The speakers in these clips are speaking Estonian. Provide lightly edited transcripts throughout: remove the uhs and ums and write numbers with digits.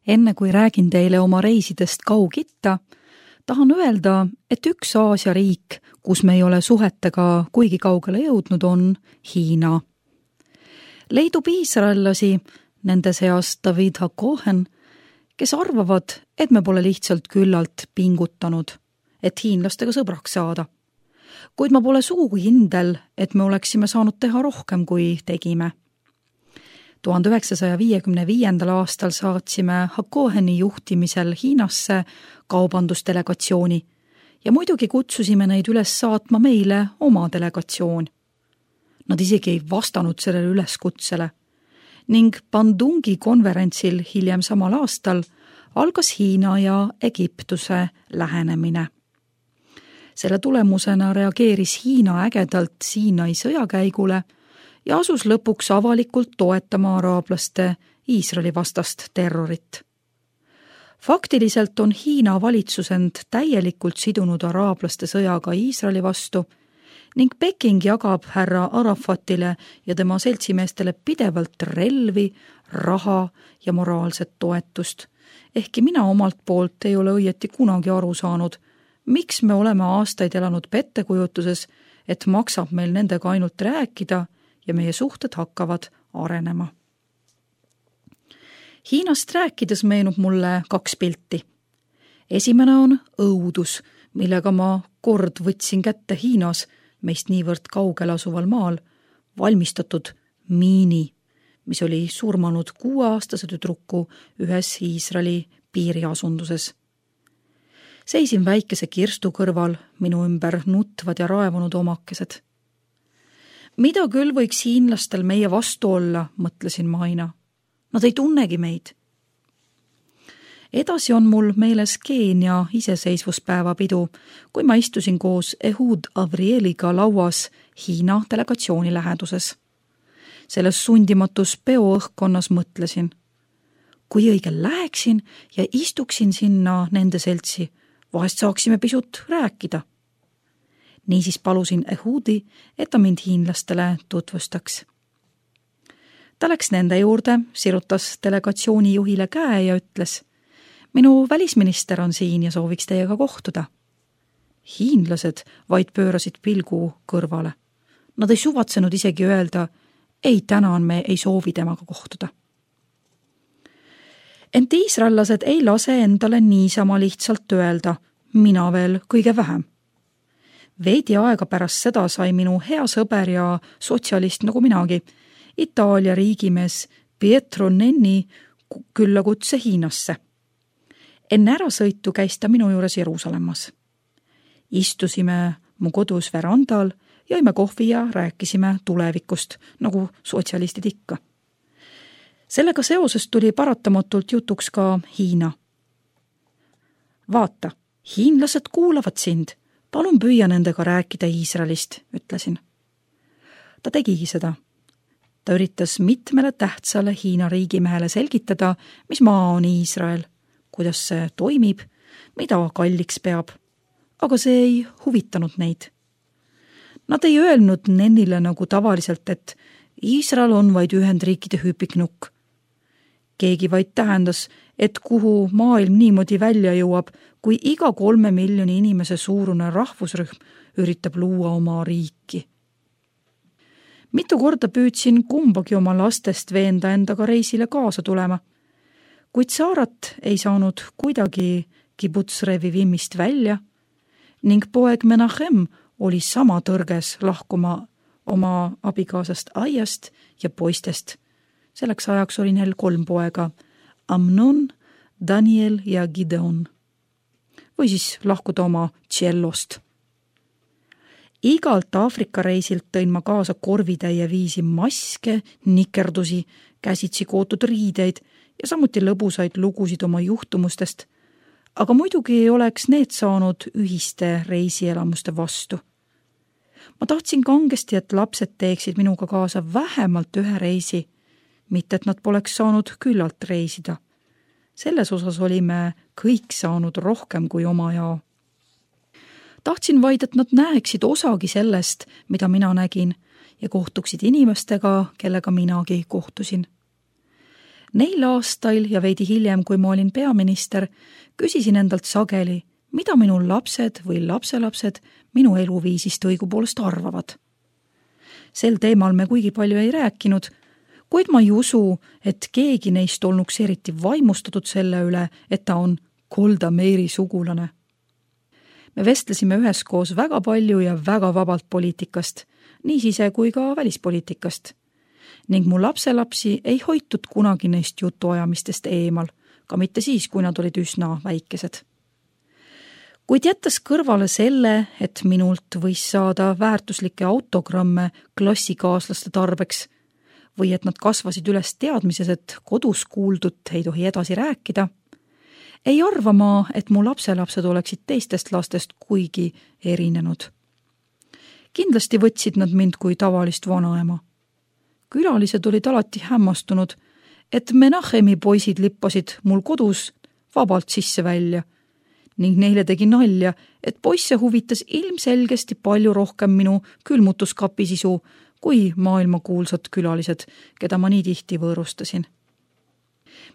Enne kui räägin teile oma reisidest Kaug-Itta, tahan öelda, et üks Aasia riik, kus me ei ole suhetega kuigi kaugele jõudnud, on Hiina. Leidub iisraellasi, nende seas David Hakohen, kes arvavad, et me pole lihtsalt küllalt pingutanud, et hiinlastega sõbraks saada. Kuid ma pole sugugi kindel, et me oleksime saanud teha rohkem, kui tegime. 1955. aastal saatsime Hakoheni juhtimisel Hiinasse kaubandusdelegatsiooni ja muidugi kutsusime neid üles saatma meile oma delegatsioon. Nad isegi ei vastanud sellele üleskutsele ning Bandungi konverentsil hiljem samal aastal algas Hiina ja Egiptuse lähenemine. Selle tulemusena reageeris Hiina ägedalt Siinai sõjakäigule ja asus lõpuks avalikult toetama araablaste Iisraeli vastast terrorit. Faktiliselt on Hiina valitsus end täielikult sidunud araablaste sõjaga Iisraeli vastu ning Peking jagab härra Arafatile ja tema seltsimeestele pidevalt relvi, raha ja moraalset toetust. Ehkki mina omalt poolt ei ole õieti kunagi aru saanud, miks me oleme aastaid elanud pettekujutuses, et maksab meil nendega ainult rääkida ja meie suhted hakkavad arenema. Hiinast rääkides meenub mulle 2 pilti. Esimene on õudus, millega ma kord võtsin kätte Hiinas, meist niivõrd kaugel asuval maal, valmistatud miini, mis oli surmanud 6-aastase tüdruku ühes Iisraeli piiriasunduses. Seisin väikese kirstu kõrval, minu ümber nutvad ja raevunud omakesed. Mida küll võiks hiinlastel meie vastu olla, mõtlesin ma aina. Nad ei tunnegi meid. Edasi on mul meeles Keenia iseseisvuspäeva pidu, kui ma istusin koos Ehud Avrieliga lauas Hiina delegatsiooni läheduses. Selles sundimatus peoõhkkonnas mõtlesin. Kui õigel läheksin ja istuksin sinna nende seltsi, vahest saaksime pisut rääkida. Niisiis palusin Ehudi, et ta mind hiinlastele tutvustaks. Ta läks nende juurde, sirutas delegatsiooni juhile käe ja ütles, minu välisminister on siin ja sooviks teiega kohtuda. Hiinlased vaid pöörasid pilgu kõrvale. Nad ei suvatsenud isegi öelda, ei tänan, me ei soovi temaga kohtuda. Ent iisraellased ei lase endale niisama lihtsalt öelda, mina veel kõige vähem. Veidi aega pärast seda sai minu hea sõber ja sotsialist nagu minagi, Itaalia riigimees Pietro Nenni küllakutse Hiinasse. Enne ärasõitu käis ta minu juures Jeruusalemmas. Istusime mu kodus verandal, jõime kohvi ja rääkisime tulevikust, nagu sotsialistid ikka. Sellega seoses tuli paratamatult jutuks ka Hiina. Vaata, hiinlased kuulavad sind. Palun püüa nendega rääkida Iisraelist, ütlesin. Ta tegigi seda. Ta üritas mitmele tähtsale Hiina riigimehele selgitada, mis maa on Iisrael, kuidas see toimib, mida kalliks peab, aga see ei huvitanud neid. Nad ei öelnud Nennile nagu tavaliselt, et Iisrael on vaid Ühendriikide hüpiknukk. Keegi vaid tähendas, et kuhu maailm niimoodi välja jõuab, kui iga 3 miljoni inimese suurune rahvusrühm üritab luua oma riiki. Mitu korda püüdsin kumbagi oma lastest veenda endaga reisile kaasa tulema, kuid Saarat ei saanud kuidagi Kibbutz Revivimist välja ning poeg Menachem oli sama tõrges lahkuma oma abikaasast aiast ja poistest. Selleks ajaks oli neil 3 poega, Amnon, Daniel ja Gideon. Või siis lahkuda oma tšellost. Igalt Aafrika reisilt tõin ma kaasa korvitäie viisi maske, nikerdusi, käsitsi kootud riideid ja samuti lõbusaid lugusid oma juhtumustest, aga muidugi ei oleks need saanud ühiste reisielamuste vastu. Ma tahtsin kangesti, et lapsed teeksid minuga kaasa vähemalt 1 reisi, mitte et nad poleks saanud küllalt reisida. Selles osas olime kõik saanud rohkem kui oma jao. Tahtsin vaid, et nad näeksid osagi sellest, mida mina nägin, ja kohtuksid inimestega, kellega minagi kohtusin. Neil aastail ja veidi hiljem, kui ma olin peaminister, küsisin endalt sageli, mida minu lapsed või lapselapsed minu eluviisist õigupoolest arvavad. Sel teemal me kuigi palju ei rääkinud, kuid ma ei usu, et keegi neist olnuks eriti vaimustatud selle üle, et ta on Golda Meiri sugulane. Me vestlesime üheskoos väga palju ja väga vabalt poliitikast, nii sise- kui ka välispoliitikast. Ning mu lapselapsi ei hoitud kunagi neist jutuajamistest eemal, ka mitte siis, kui nad olid üsna väikesed. Kuid jättes kõrvale selle, et minult võis saada väärtuslikke autogramme klassikaaslaste tarbeks või et nad kasvasid üles teadmises, et kodus kuuldut ei tohi edasi rääkida, ei arva ma, et mu lapselapsed oleksid teistest lastest kuigi erinenud. Kindlasti võtsid nad mind kui tavalist vanaema. Külalised olid alati hämmastunud, et Menachemi poisid lippasid mul kodus vabalt sisse välja ning neile tegi nalja, et poisse huvitas ilmselgesti palju rohkem minu külmutuskapi sisu kui maailmakuulsad külalised, keda ma nii tihti võõrustasin.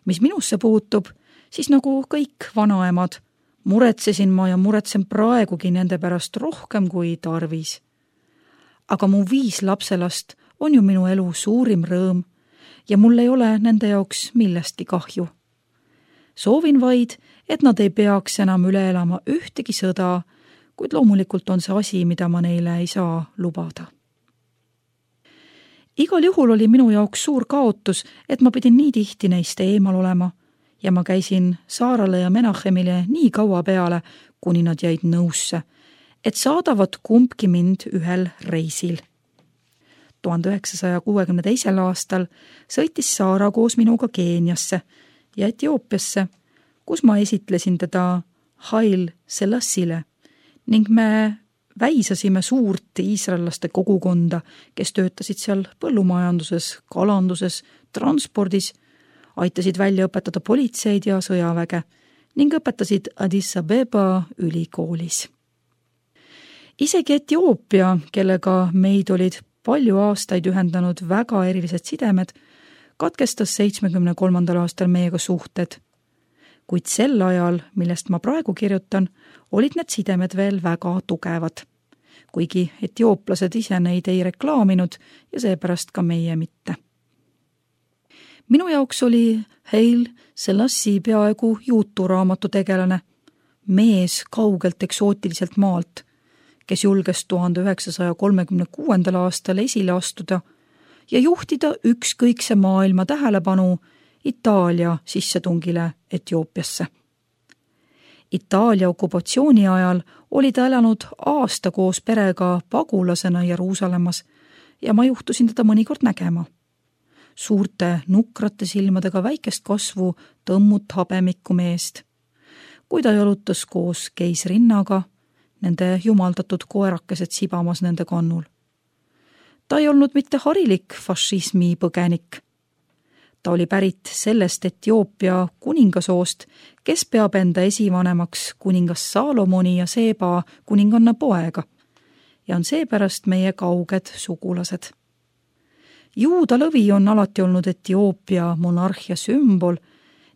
Mis minusse puutub, siis nagu kõik vanaemad, muretsesin ma ja muretsen praegugi nende pärast rohkem kui tarvis. Aga mu 5 lapselast on ju minu elu suurim rõõm ja mul ei ole nende jaoks millestki kahju. Soovin vaid, et nad ei peaks enam üle elama ühtegi sõda, kuid loomulikult on see asi, mida ma neile ei saa lubada. Igal juhul oli minu jaoks suur kaotus, et ma pidin nii tihti neist eemal olema ja ma käisin Saarale ja Menachemile nii kaua peale, kuni nad jäid nõusse, et saadavad kumbki mind ühel reisil. 1962. aastal sõitis Saara koos minuga Keeniasse ja Etioopiasse, kus ma esitlesin teda Haile Selassile ning me väisasime suurt iisraellaste kogukonda, kes töötasid seal põllumajanduses, kalanduses, transpordis, aitasid välja õpetada politseid ja sõjaväge ning õpetasid Addis Abeba ülikoolis. Isegi Etioopia, kellega meid olid palju aastaid ühendanud väga erilised sidemed, katkestas 73. aastal meiega suhted. Kuid sel ajal, millest ma praegu kirjutan, olid need sidemed veel väga tugevad, kuigi etiooplased ise neid ei reklaaminud ja seepärast ka meie mitte. Minu jaoks oli Haile Selassie peaaegu juuturaamatu tegelane, mees kaugelt eksootiliselt maalt, kes julges 1936. aastal esile astuda ja juhtida ükskõikse maailma tähelepanu Itaalia sissetungile Etioopiasse. Itaalia okupatsiooni ajal oli ta elanud aasta koos perega pagulasena Jeruusalemmas ja ma juhtusin teda mõnikord nägema. Suurte nukrate silmadega väikest kasvu tõmmut habemikku meest. Kui ta jalutas koos keisrinnaga, nende jumaldatud koerakesed sibamas nende kannul. Ta ei olnud mitte harilik fašismi põgenik. Ta oli pärit sellest Etioopia kuningasoost, kes peab enda esivanemaks kuningas Saalomoni ja Seeba kuninganna poega ja on seepärast meie kauged sugulased. Juuda lõvi on alati olnud Etioopia monarhia sümbol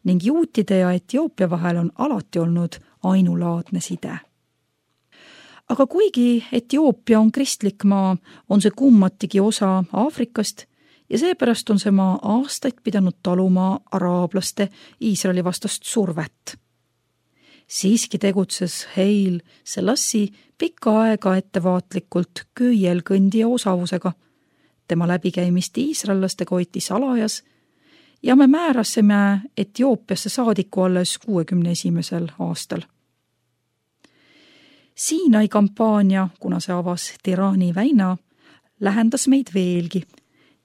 ning juutide ja Etioopia vahel on alati olnud ainulaadne side. Aga kuigi Etioopia on kristlik maa, on see kummatigi osa Aafrikast ja seepärast on see maa aastaid pidanud taluma araablaste Iisraeli vastast survet. Siiski tegutses Haile Selassie pikka aega ettevaatlikult köielkõndija osavusega. Tema läbikäimist iisraellastega hoiti salajas ja me määrasime Etioopiasse saadiku alles 61. aastal. Siinai kampaania, kuna see avas Tirani väina, lähendas meid veelgi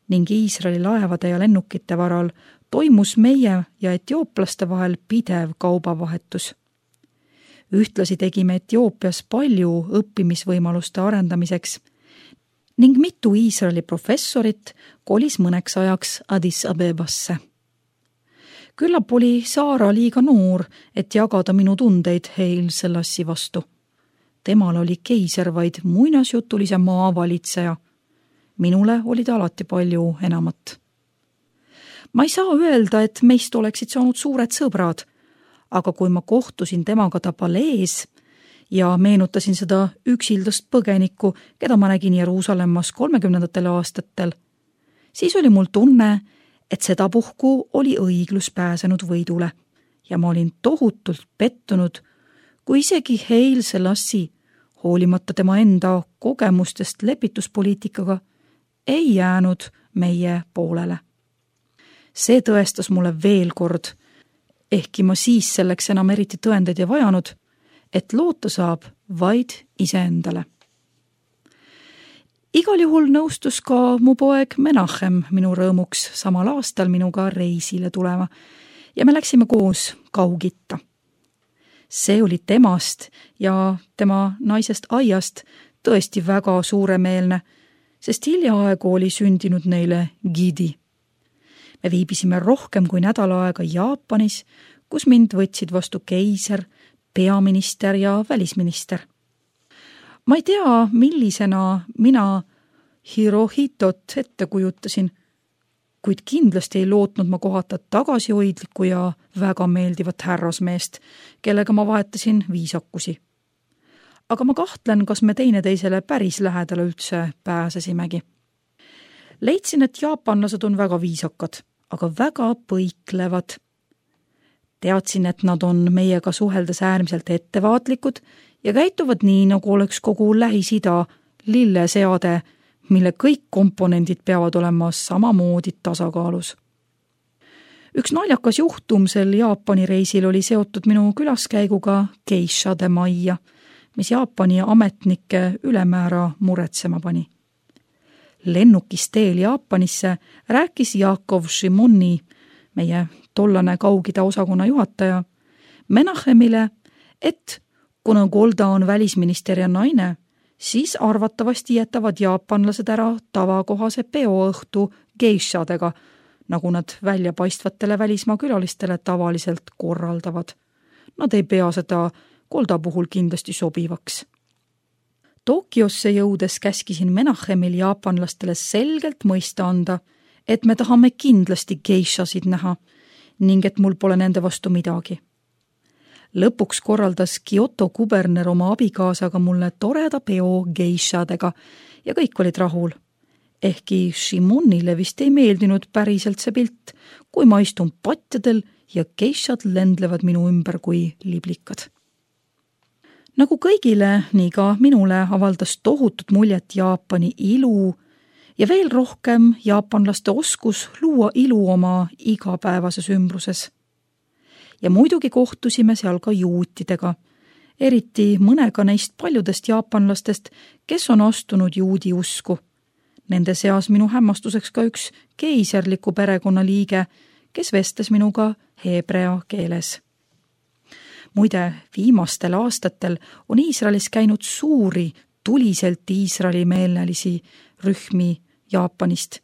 ning Iisraeli laevade ja lennukite varal toimus meie ja etiooplaste vahel pidev kaubavahetus. Ühtlasi tegime Etioopias palju õppimisvõimaluste arendamiseks ning mitu Iisraeli professorit kolis mõneks ajaks Addis Abebasse. Küllap oli Saara liiga noor, et jagada minu tundeid Haile Selassie vastu. Temal oli keiser vaid muinasjutulise maa valitseja. Minule oli ta alati palju enamat. Ma ei saa öelda, et meist oleksid saanud suured sõbrad, aga kui ma kohtusin temaga ta palees ja meenutasin seda üksildast põgenikku, keda ma nägin Jeruusalemmas 30. aastatel, siis oli mul tunne, et sedapuhku oli õiglus pääsenud võidule ja ma olin tohutult pettunud, kui isegi Haile Selassie, hoolimata tema enda kogemustest lepituspoliitikaga, ei jäänud meie poolele. See tõestas mulle veel kord, ehkki ma siis selleks enam eriti tõendeid ei vajanud, et loota saab vaid iseendale. Igal juhul nõustus ka mu poeg Menachem minu rõõmuks samal aastal minuga reisile tulema ja me läksime koos Kaugitta. See oli temast ja tema naisest Aiast tõesti väga suuremeelne, sest hiljaaegu oli sündinud neile Gidi. Me viibisime rohkem kui nädal aega Jaapanis, kus mind võtsid vastu keiser, peaminister ja välisminister. Ma ei tea, millisena mina Hirohitot ette kujutasin, kuid kindlasti ei lootnud ma kohata tagasihoidlikku ja väga meeldivat härrasmeest, kellega ma vahetasin viisakusi. Aga ma kahtlen, kas me teineteisele päris lähedale üldse pääsesimegi. Leidsin, et jaapanlased on väga viisakad, aga väga põiklevad. Teadsin, et nad on meiega suheldes äärmiselt ettevaatlikud ja käituvad nii, nagu oleks kogu Lähis-Ida lilleseade, mille kõik komponendid peavad olema samamoodi tasakaalus. Üks naljakas juhtum sel Jaapani reisil oli seotud minu külaskäiguga geishade majja, mis Jaapani ametnikke ülemäära muretsema pani. Lennukis teel Jaapanisse rääkis Jakov Shimoni, meie tollane Kaugida osakonna juhataja, Menachemile, et kuna Golda on välisministeria naine, siis arvatavasti jätavad jaapanlased ära tavakohase peoõhtu geishadega, nagu nad väljapaistvatele välismaa külalistele tavaliselt korraldavad. Nad ei pea seda Golda puhul kindlasti sobivaks. Tokyosse jõudes käskisin Menachemil jaapanlastele selgelt mõista anda, et me tahame kindlasti geishasid näha ning et mul pole nende vastu midagi. Lõpuks korraldas Kyoto kuberner oma abikaasaga mulle toreda peo geishadega ja kõik olid rahul. Ehkki Shimonile vist ei meeldinud päriselt see pilt, kui ma istun patjadel ja geishad lendlevad minu ümber kui liblikad. Nagu kõigile, nii ka minule avaldas tohutut muljet Jaapani ilu ja veel rohkem jaapanlaste oskus luua ilu oma igapäevases ümbruses. Ja muidugi kohtusime seal ka juutidega, eriti mõnega neist paljudest jaapanlastest, kes on astunud juudi usku. Nende seas minu hämmastuseks ka üks keiserliku perekonna liige, kes vestles minuga heebrea keeles. Muide, viimastel aastatel on Iisraelis käinud suuri, tuliselt Iisraeli-meelelisi rühmi Jaapanist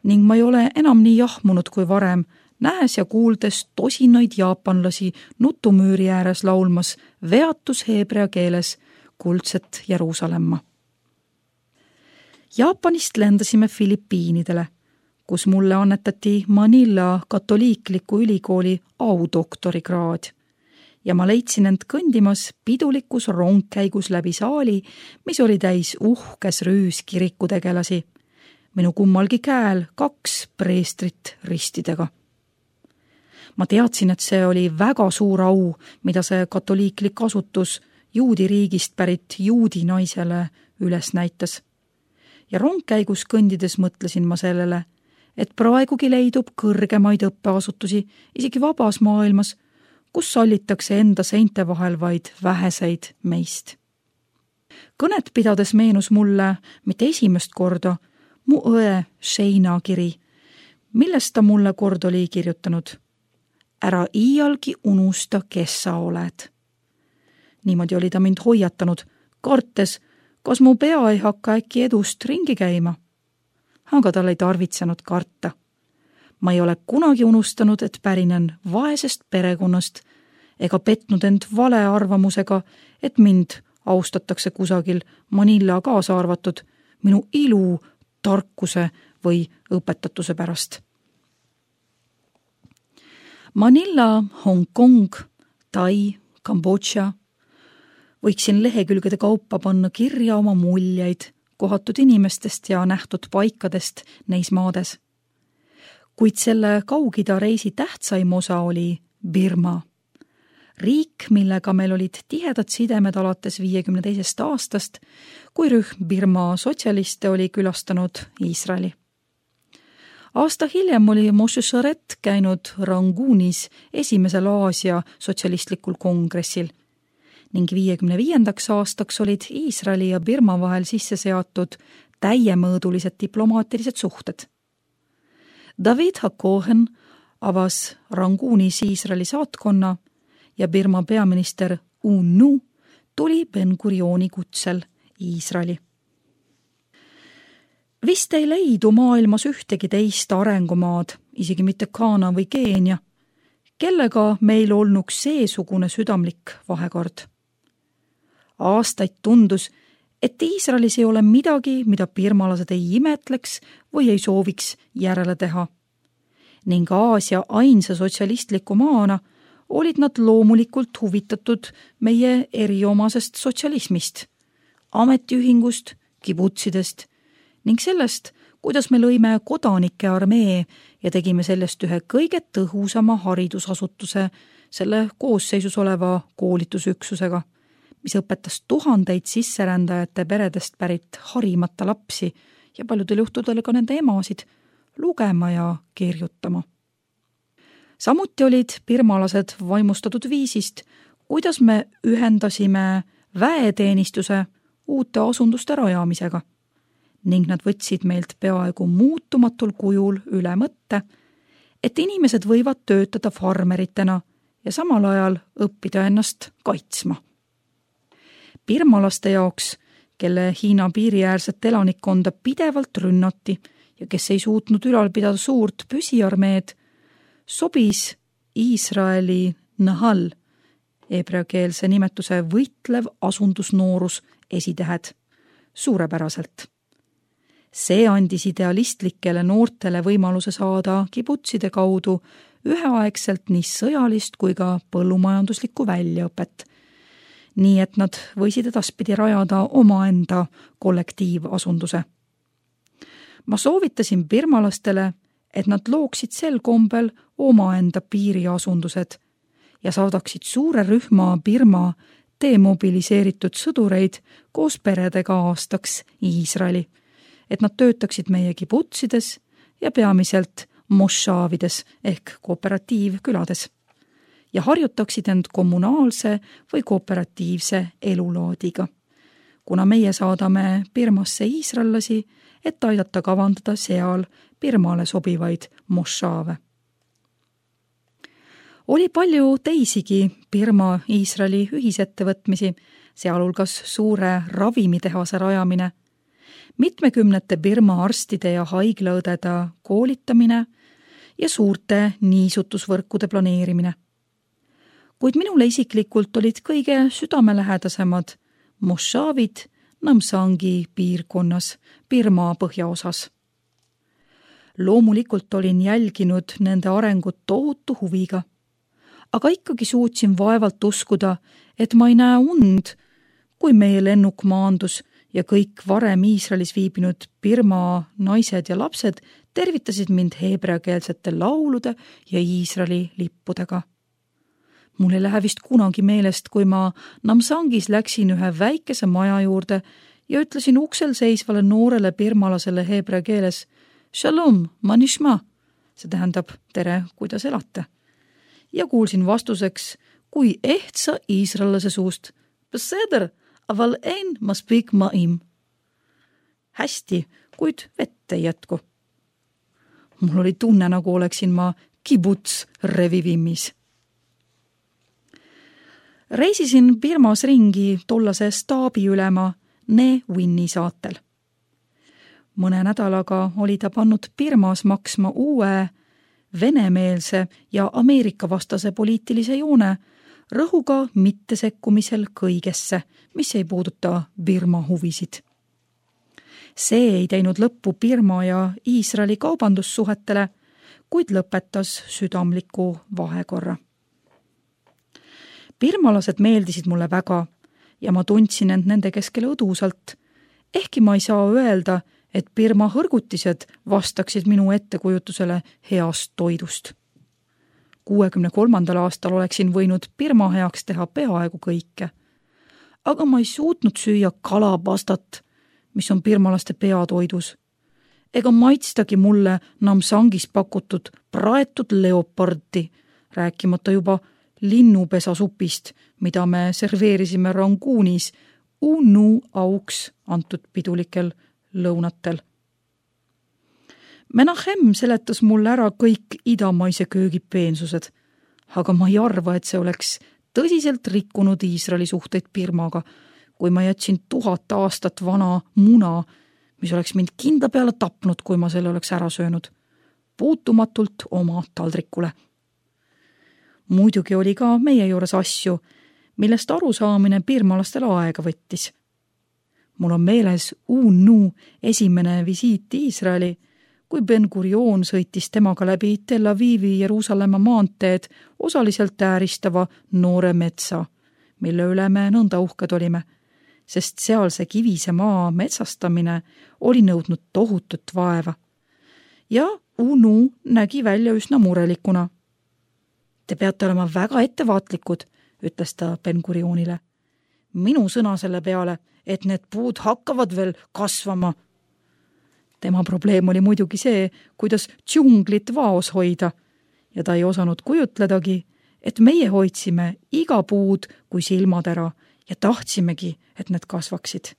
ning ma ei ole enam nii jahmunud kui varem, nähes ja kuuldes tosinaid jaapanlasi nutumüüri ääres laulmas veatus heebrea keeles kuldset Jeruusalemma. Jaapanist lendasime Filipiinidele, kus mulle annetati Manila katoliikliku ülikooli audoktorikraad ja ma leidsin end kõndimas pidulikus rongkäigus läbi saali, mis oli täis uhkes rüüs kirikutegelasi. Minu kummalgi käel 2 preestrit ristidega. Ma teadsin, et see oli väga suur au, mida see katoliiklik asutus juudi riigist pärit juudi naisele üles näitas. Ja rongkäigus kõndides mõtlesin ma sellele, et praegugi leidub kõrgemaid õppeasutusi isegi vabas maailmas, kus sallitakse enda seinte vahel vaid väheseid meist. Kõnet pidades meenus mulle mitte esimest korda mu õe Sheina kiri, millest ta mulle kord oli kirjutanud. Ära iialgi unusta, kes sa oled. Niimoodi oli ta mind hoiatanud, kartes, kas mu pea ei hakka äkki edust ringi käima. Aga tal ei tarvitsenud karta. Ma ei ole kunagi unustanud, et pärinen vaesest perekonnast ega petnud end vale arvamusega, et mind austatakse kusagil Manila kaasa arvatud minu ilu, tarkuse või õpetatuse pärast. Manila, Hongkong, Tai, Kambodža. Võiksin lehekülgede kaupa panna kirja oma muljeid kohatud inimestest ja nähtud paikadest neis maades. Kuid selle Kaug-Ida reisi tähtsaim osa oli Birma. Riik, millega meil olid tihedad sidemed alates 52. aastast, kui rühm Birma sotsialiste oli külastanud Iisraeli. Aasta hiljem oli Moshe Sharet käinud Rangunis esimesel Aasia sotsialistlikul kongressil ning 55. aastaks olid Iisraeli ja Birma vahel sisse seatud täiemõõdulised diplomaatilised suhted. David Hakohen avas Rangunis Iisraeli saatkonna ja Birma peaminister U-Nu tuli Ben-Gurioni kutsel Iisraeli. Vist ei leidu maailmas ühtegi teist arengumaad, isegi mitte Ghana või Keenia, kellega meil olnuks seesugune südamlik vahekord. Aastaid tundus, et Iisraelis ei ole midagi, mida birmalased ei imetleks või ei sooviks järele teha. Ning Aasia ainsa sotsialistliku maana olid nad loomulikult huvitatud meie eriomasest sotsialismist, ametiühingust, kibutsidest ning sellest, kuidas me lõime kodanike armee ja tegime sellest ühe kõige tõhusama haridusasutuse selle koosseisus oleva koolitusüksusega, mis õpetas tuhandeid sisserändajate peredest pärit harimata lapsi ja paljudel juhtudel ka nende emasid lugema ja kirjutama. Samuti olid birmalased vaimustatud viisist, kuidas me ühendasime väeteenistuse uute asunduste rajamisega ning nad võtsid meilt peaaegu muutumatul kujul üle mõtte, et inimesed võivad töötada farmeritena ja samal ajal õppida ennast kaitsma. Birmalaste jaoks, kelle Hiina piiriäärset elanikkonda pidevalt rünnati ja kes ei suutnud ülal pidada suurt püsiarmeed, sobis Iisraeli Nahal, heebreakeelse nimetuse võitlev asundusnoorus esitähed, suurepäraselt. See andis idealistlikele noortele võimaluse saada kibutside kaudu üheaegselt nii sõjalist kui ka põllumajanduslikku väljaõpet, nii et nad võisid edaspidi rajada omaenda kollektiivasunduse. Ma soovitasin birmalastele, et nad looksid sel kombel omaenda piiriasundused ja saadaksid suure rühma Birma demobiliseeritud sõdureid koos peredega aastaks Iisraeli, et nad töötaksid meie kibutsides ja peamiselt mošaavides ehk kooperatiivkülades ja harjutaksid end kommunaalse või kooperatiivse elulaadiga, kuna meie saadame Birmasse iisraellasi, et aidata kavandada seal Birmale sobivaid mošaave. Oli palju teisigi Birma-Iisraeli ühisettevõtmisi, sealhulgas suure ravimitehase rajamine, mitmekümnete Birma arstide ja haiglaõdede koolitamine ja suurte niisutusvõrkude planeerimine. Kuid minule isiklikult olid kõige südamelähedasemad mošaavid Namsangi piirkonnas Birma põhjaosas. Loomulikult olin jälginud nende arengut tohutu huviga, aga ikkagi suutsin vaevalt uskuda, et ma ei näe und, kui meie lennuk maandus ja kõik varem Iisraelis viibinud Birma naised ja lapsed tervitasid mind heebreakeelsete laulude ja Iisraeli lippudega. Mul ei lähe vist kunagi meelest, kui ma Namsangis läksin ühe väikese maja juurde ja ütlesin uksel seisvale noorele birmalasele heebrea keeles Shalom, manishma, see tähendab tere, kuidas elate. Ja kuulsin vastuseks, kui ehtsa iisraellase suust Beseder, aval ein maspik maim. Hästi, kuid vett ei jätku. Mul oli tunne, nagu oleksin ma kibuts revivimmis. Reisisin Birmas ringi tollase staabiülema Ne Winni saatel. Mõne nädalaga oli ta pannud Birmas maksma uue venemeelse ja Ameerika-vastase poliitilise joone rõhuga mittesekkumisel kõigesse, mis ei puuduta Birma huvisid. See ei teinud lõppu Birma ja Iisraeli kaubandussuhetele, kuid lõpetas südamliku vahekorra. Birmalased meeldisid mulle väga ja ma tundsin end nende keskel õdusalt, ehkki ma ei saa öelda, et Birma hõrgutised vastaksid minu ettekujutusele heast toidust. 63. aastal oleksin võinud Birma heaks teha peaaegu kõike, aga ma ei suutnud süüa kalapastat, mis on birmalaste peatoidus, ega maitstagi mulle Namsangis pakutud praetud leopardi, rääkimata juba linnupesasupist, mida me serveerisime Rangunis Unu auks antud pidulikel lõunatel. Menachem seletas mulle ära kõik idamaise köögi peensused, aga ma ei arva, et see oleks tõsiselt rikkunud Iisraeli suhteid Birmaga, kui ma jätsin 1000 aastat vana muna, mis oleks mind kindla peale tapnud, kui ma selle oleks ära söönud, puutumatult oma taldrikule. Muidugi oli ka meie juures asju, millest arusaamine birmalastel aega võttis. Mul on meeles Unu esimene visiit Iisraeli, kui Ben-Gurion sõitis temaga läbi Tel Avivi Jeruusalemma maanteed osaliselt ääristava noore metsa, mille üle me nõnda uhked olime, sest sealse kivise maa metsastamine oli nõudnud tohutut vaeva. Ja Unu nägi välja üsna murelikuna. Te peate olema väga ettevaatlikud, ütles ta Ben-Gurionile. Minu sõna selle peale, et need puud hakkavad veel kasvama. Tema probleem oli muidugi see, kuidas džunglit vaos hoida, ja ta ei osanud kujutledagi, et meie hoidsime iga puud kui silmad ära ja tahtsimegi, et need kasvaksid.